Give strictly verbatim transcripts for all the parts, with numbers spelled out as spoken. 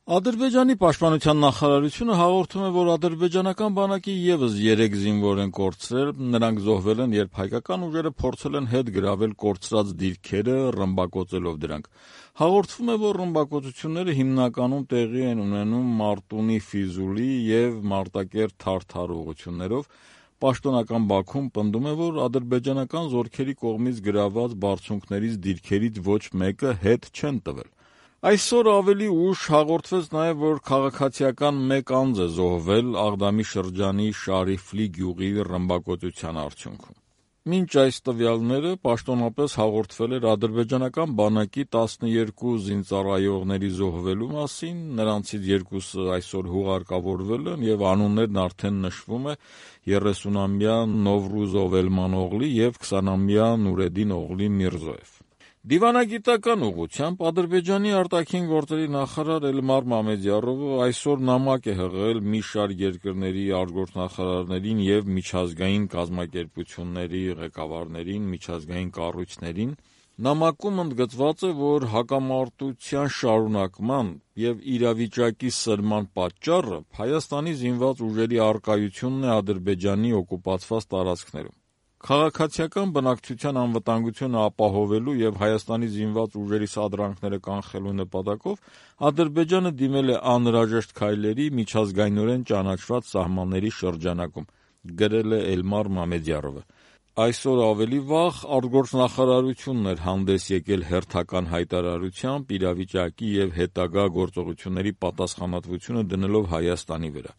Ադրբեջանի պաշտպանության նախարարությունը հաղորդում է, որ ադրբեջանական բանակի ևս երեք զինվոր են կորցրել, նրանք զոհվել են, երբ հայկական ուժերը փորձել են հետ գրավել կորցրած դիրքերը, ռմբակոծելով դրանք։ Հաղորդվում է, որ ռմբակոծությունները հիմնականում տեղի են ունենում Մարտունի Ֆիզուլի և Մարտակերտ Թարթար ուղղություններով։ Պաշտոնական Բաքուն պնդում է, որ ադրբեջանական զորքերի կողմից գրաված բարձունքներից դիրքերից ոչ մեկը հետ չեն տվել։ Այսօր ավելի ուշ հաղորդվեց նաև, որ քաղաքացիական մեկ անձ է զոհվել Աղդամի շրջանի Շարիֆլի գյուղի ռմբակոծության արդյունքում։ Մինչ այս տվյալները պաշտոնապես հաղորդվել էր ադրբեջանական բանակի տասներկու զինծառայողների զոհվելու մասին, նրանցից երկուսը այսօր հուղարկավորվել են և անուններն արդեն նշվում է երեսունամյա Նովրուզ Օվելմանօղլի և քսանամյա Նուրեդին Օղլի Միրզոև։ Դիվանագիտական ուղղությամբ Ադրբեջանի արտաքին գործերի նախարար Էլմար Մամեդյարովը այսօր նամակ է հղել մի շարք երկրների արտգործնախարարներին և միջազգային կազմակերպությունների ղեկավարներին, միջազգային կառույցներին։ Նամակում ընդգծված է, որ հակամարտության շարունակման և իրավիճակի սրման պատճառը Հայաստանի զինված ուժերի առկայությունն է Ադրբեջանի օկուպացված տարածքներում։ Քաղաքացիական բնակչության անվտանգությունը ապահովելու և Հայաստանի զինված ուժերի սադրանքները կանխելու նպատակով Ադրբեջանը դիմել է անհրաժեշտ քայլերի միջազգայնորեն ճանաչված սահմանների շրջանակում, գրել է Էլմար Մամեդյարովը։ Այսօր ավելի վաղ արտգործնախարարությունն էր հանդես եկել հերթական հայտարարությամբ իրավիճակի և հետագա գործողությունների պատասխանատվությունը դնելով Հայաստանի վրա։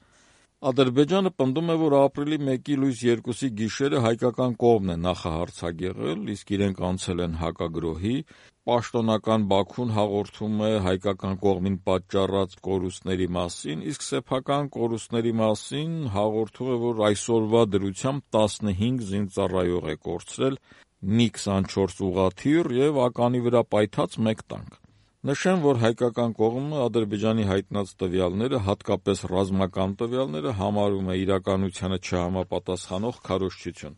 Ադրբեջանը պնդում է, որ ապրիլի մեկի լույս երկուսի գիշերը հայկական կողմն է նախահարձակեղել, իսկ իրենք անցել են հակագրոհի։ Պաշտոնական Բաքուն հաղորդում է հայկական կողմին պատճառած կորուստների մասին, իսկ սեփական կորուստների մասին հաղորդում է, որ այսօրվա դրությամբ տասնհինգ զինծառայող է կորցրել, մի քսանչորս ուղղաթիռ և ականի վրա պայթած մեկ տանկ։ Նշեմ, որ հայկական կողմը Ադրբեջանի հայտնած տվյալները, հատկապես ռազմական տվյալները, համարում է իրականությանը չհամապատասխանող քարոզչություն։